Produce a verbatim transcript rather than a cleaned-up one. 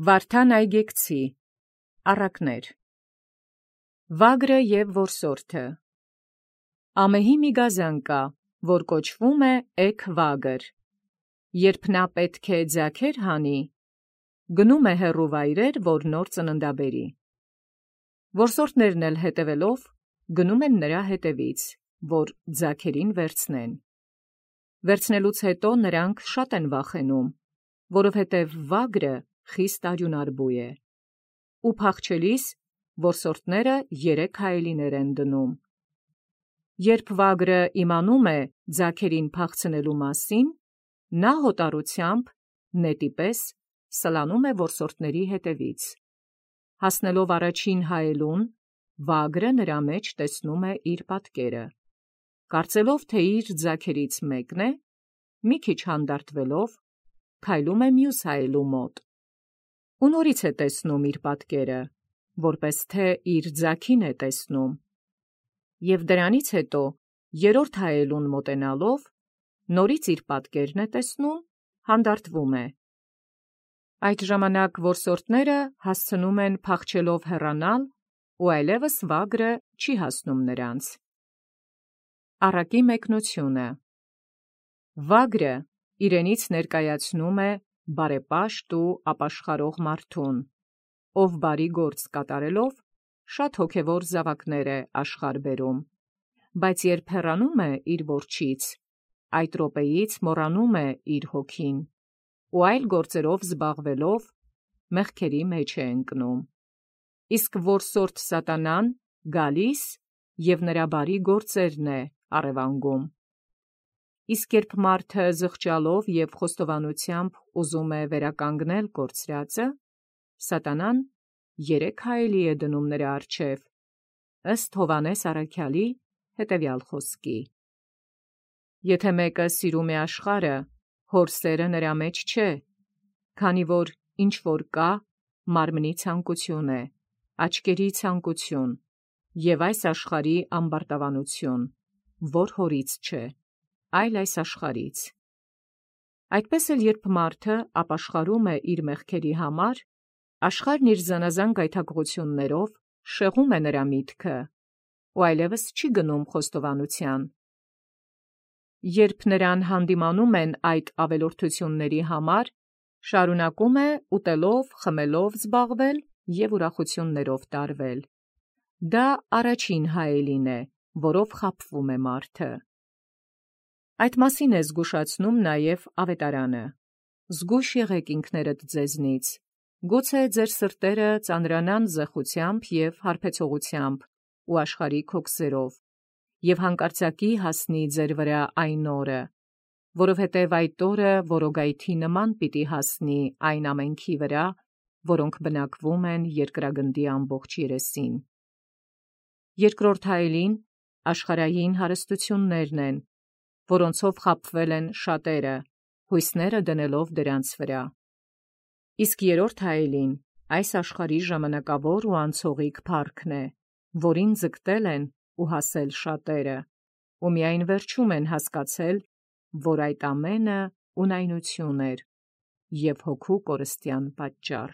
Վարդան այգեկցի, առակներ։ Վագրը և որսորդը։ Ամեհի մի գազան կա, որ կոչվում է էգ վագր։ Երբ նա պետք է ձագեր հանի, գնում է հեռու վայրեր, որ նոր ծննդաբերի։ Որսորդներն էլ հետևելով, գնում են նրա հետևից, որ ձագերին վերցնեն։ Վերցնելուց հետո նրանք շատ են վախենում, որովհետև վագրը խիստ արյունարբու է։ Ու փախչելիս որսորդները երեք հայելիներ են դնում։ Երբ վագրը իմանում է ձագերին փախցնելու մասին, նա հոտառությամբ նետի պես սլանում է որսորդների հետևից։ Հասնելով առաջին հայելուն, վագրը նրա մեջ տեսնում է իր պատկերը։ Կարծելով, թե իր ձագերից մեկն է, մի քիչ հանդարտվելով, քայլում է մյուս հայելու մոտ։ Ու նորից է տեսնում իր պատկերը, որպես թե իր ձագին է տեսնում։ Եվ դրանից հետո, երրորդ հայելուն մոտենալով, նորից իր պատկերն է տեսնում, հանդարտվում է։ Այդ ժամանակ որսորդները հասցնում են փախչելով հեռանալ, ու այլևս վագրը չի հասնում նրանց։ Առակի մեկնությունը։ Վագրը իրենից ներկայացնում է բարեպաշտ ու ապաշխարող մարդուն, ով բարի գործ կատարելով շատ հոգևոր զավակներ է աշխարհ բերում, բայց երբ հեռանում է իր որջից, այդ րոպեից մոռանում է իր հոգին ու այլ գործերով զբաղվելով մեղքերի մեջ է ընկնում։ Իսկ որսորդ սատանան գալիս և նրա բարի գործերն է առևանգում։ Իսկ երբ մարդը զղջալով և խոստովանությամբ ուզում է վերականգնել կորցրածը, սատանան երեք հայելի է դնում նրա առջև, ըստ Հովհաննես առաքյալի հետևյալ խոսքի. Եթե մեկը սիրում է աշխարհը, հոր սերը նրա մեջ չէ, քանի որ ինչ որ կա, մարմնի ցանկություն է, աչքերի ցանկություն և այս աշխարհի ամբարտավանություն, որ հորից չէ, այլ այս աշխարհից։ Այդպես էլ երբ մարդը ապաշխարում է իր մեղքերի համար, աշխարհն իր զանազան գայթակղություններով շեղում է նրա միտքը ու այլևս չի գնում խոստովանության։ Երբ նրան հանդիմանում են այդ ավելորդությունների համար, շարունակում է ուտելով, խմելով զբաղվել և ուրախություններով տարվել։ Դա առաջին հայելին է, որով խաբվում է մարդը։ Այդ մասին է զգուշացնում նաև Ավետարանը. «Զգույշ եղեք ինքներդ ձեզնից, գուցե ձեր սրտերը ծանրանան զեղությամբ և հարբեցողությամբ ու աշխարհիկ հոգսերով, և հանկարծակի հասնի ձեր վրա այն օրը, որովհետև այդ օրը որոգայթի նման պիտի հասնի այն ամենքի վրա, որոնք բնակվում են երկրագնդի ամբողջ երեսին»։ Երկրորդ հայելին աշխարհային հարստություններն են, որոնցով խաբվել են շատերը, հույսները դնելով դրանց վրա։ Իսկ երրորդ հայելին այս աշխարհի ժամանակավոր ու անցողիկ փառքն է, որին ձգտել են ու հասել շատերը, ու միայն վերջում են հասկացել, որ այդ ամենը ունայնություն էր և հոգու կորստյան պատճառ։